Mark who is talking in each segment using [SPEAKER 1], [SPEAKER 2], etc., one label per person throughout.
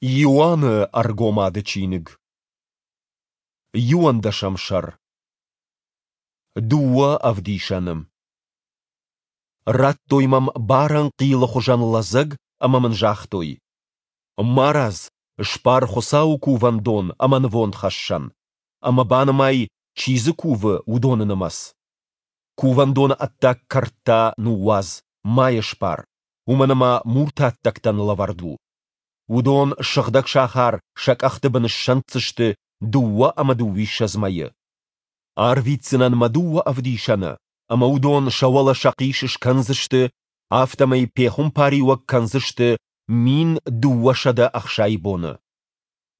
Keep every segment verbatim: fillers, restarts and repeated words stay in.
[SPEAKER 1] Иоанны Ӕргомады чиныг. Иуӕндӕсӕм сӕр. Дыууӕ ӕвдисӕны. Радтой мӕм барӕн хъилы хуызӕн лӕдзӕг ӕмӕ мын загътой: Марадз, сбар Хуыцауы кувӕндон ӕмӕ нывондхӕссӕн, ӕмӕ банымай, чи дзы кувы, уыдоны нымӕц. Кувӕндоны ӕддаг кӕрт та ныууадз, ма йӕ сбар, уымӕн ӕмӕ муртаттӕгтӕн лӕвӕрд у. Уыдон сыгъдӕг сахар сӕ къӕхты бын ссӕнддзысты дыууӕ ӕмӕ дыууиссӕдз мӕйы. Арвитдзынӕн мӕ дыууӕ ӕвдисӕны, ӕмӕ уыдон сӕ уӕлӕ сӕхъис скӕндзысты, афтӕмӕй пехуымпариуӕг кӕндзысты мин дыууӕсӕдӕ ӕхсай боны.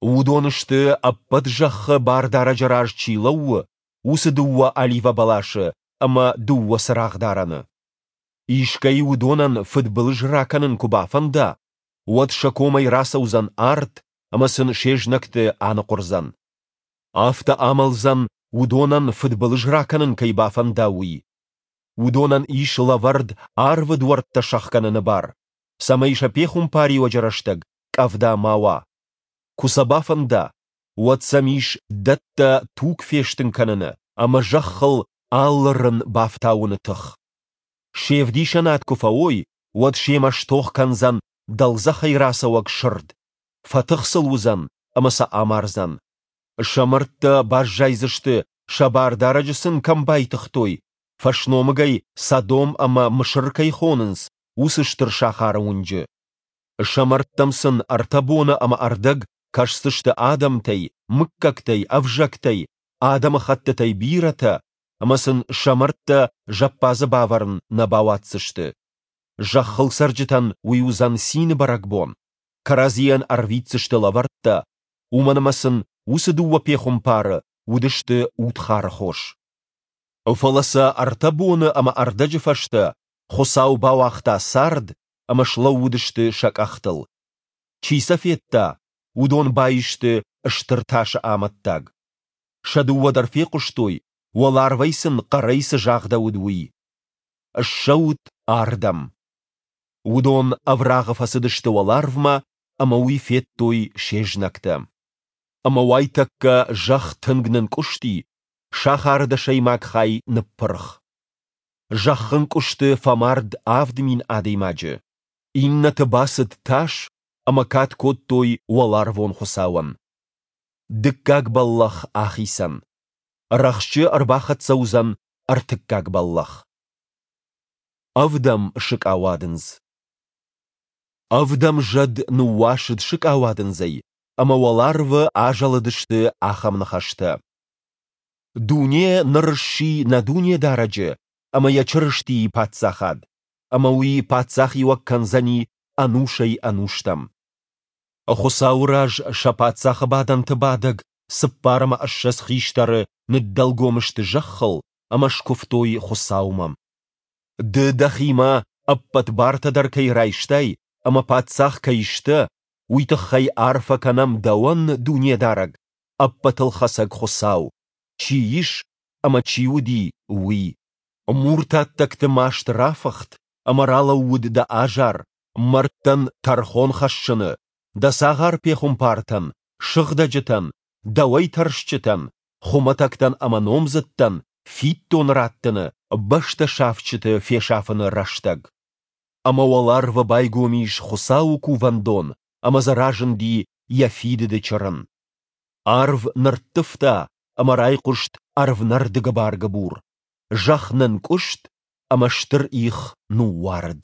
[SPEAKER 1] Уыдон сты, ӕппӕт зӕххы Бардарӕджы раз чи лӕууы, уыцы дыууӕ оливӕбӕласы ӕмӕ дыууӕ цырагъдарӕны. Искӕй уыдонӕн фыдбылыз ракӕнын куы бафӕнда, уӕд сӕ комӕй рацӕудзӕн арт ӕмӕ сын се знӕгты аныхъуырдзӕн. Афтӕ амӕлдзӕн, уыдонӕн фыдбылыз ракӕнын кӕй бафӕнда, уый. Уыдонӕн ис лӕвӕрд арвы дуӕрттӕ сӕхгӕныны бар, цӕмӕй сӕ пехуымпариуӕджы рӕстӕг къӕвда ма уа. Куы сӕ бафӕнда, уӕд сӕм ис дӕттӕ туг фестын кӕныны ӕмӕ зӕххыл алы рын бафтауыны тых. Се вдисӕнад куы фӕуой, уӕд семӕ стох кӕндзӕн дӕлдзӕхӕй рацӕуӕг сырд, фӕтых сыл уыдзӕн ӕмӕ сӕ амардзӕн. Сӕ мӕрдтӕ баззайдзысты, сӕ Бардарӕджы сын кӕм байтыгътой, фӕсномыгӕй Содом ӕмӕ Мысыр кӕй хонынц, уыцы стыр сахары уынджы. Сӕ мӕрдтӕм сын ӕртӕ боны ӕмӕ ӕрдӕг кӕсдзысты адӕмтӕй, мыггӕгтӕй, ӕвзӕгтӕй, адӕмыхӕттытӕй бирӕтӕ, ӕмӕ сын сӕ мӕрдтӕ зӕппадзы бавӕрын нӕ бауадздзысты. Зӕххыл цӕрджытӕн уый уыдзӕн цины бӕрӕгбон, кӕрӕдзийӕн ӕрвитдзысты лӕвӕрттӕ, уымӕн ӕмӕ сын уыцы дыууӕ пехуымпары уыдысты удхары хос. Фӕлӕ сӕ ӕртӕ боны ӕмӕ ӕрдӕджы фӕстӕ Хуыцау бауагъта цард ӕмӕ слӕууыдысты сӕ къӕхтыл. Чи сӕ федта, уыдон баисты стыр тасы амӕттаг. Сӕ дыууӕ дӕр фехъуыстой, уӕларвӕй сын хъӕрӕй цы загъдӕуыд, уый: Ссӕут ардӕм! Уыдон ӕврагъы фӕцыдысты уӕларвмӕ ӕмӕ уый федтой се знӕгтӕ. Ӕмӕ уайтӕккӕ зӕхх тынг нынкъуысти, сахары дӕсӕймаг хай ныппырх. Зӕххынкъуысты фӕмард авд мин адӕймаджы. Иннӕты бацыд тас ӕмӕ кад кодтой уӕларвон Хуыцауӕн. Дыккаг бӕллӕх ахицӕн. Рӕхджы ӕрбахӕццӕ уыдзӕн ӕртыккаг бӕллӕх. Ӕвдӕм сыкъауадындз. Ӕвдӕм зӕд ныууасыд сыкъауадындзӕй, ӕмӕ уӕларвы азӕлыдысты ахӕм ныхӕстӕ: Дуне ныр сси нӕ Дунедарӕджы ӕмӕ йӕ Чырыстийы Паддзахад, ӕмӕ уый паддзахиуӕг кӕндзӕни ӕнусӕй-ӕнустӕм. Хуыцауы раз сӕ паддзахы бадӕнты бадӕг цыппар ӕмӕ ссӕдз хистӕры ныддӕлгом сты зӕххыл ӕмӕ скуывтой Хуыцаумӕ. Ды дӕхимӕ ӕппӕт бартӕ дӕр кӕй райстай ӕмӕ паддзах кӕй сдӕ, уый тыххӕй арфӕ кӕнӕм дӕуӕн, Дунедарӕг, Ӕппӕтылхӕцӕг Хуыцау, чи ис ӕмӕ чи уыди, уый. Муртаттӕгты маст рафыхт ӕмӕ ралӕууыд дӕ азар, мӕрдтӕн тӕрхон хӕссыны, дӕ цагъар-пехуымпартӕн, сыгъдӕджытӕн, дӕуӕй тӕрсджытӕн, хуымӕтӕгтӕн ӕмӕ номдзыдтӕн фиддон раттыны, бӕстӕ сафджыты фесафыны рӕстӕг. Ӕмӕ уӕларвы байгом ис Хуыцауы кувӕндон ӕмӕ дзы разынди йӕ фидыды чырын. Арв нырттывта ӕмӕ райхъуыст ӕрвнӕрды гыбар-гыбур, зӕхх нынкъуыст ӕмӕ стыр их ныууарыд.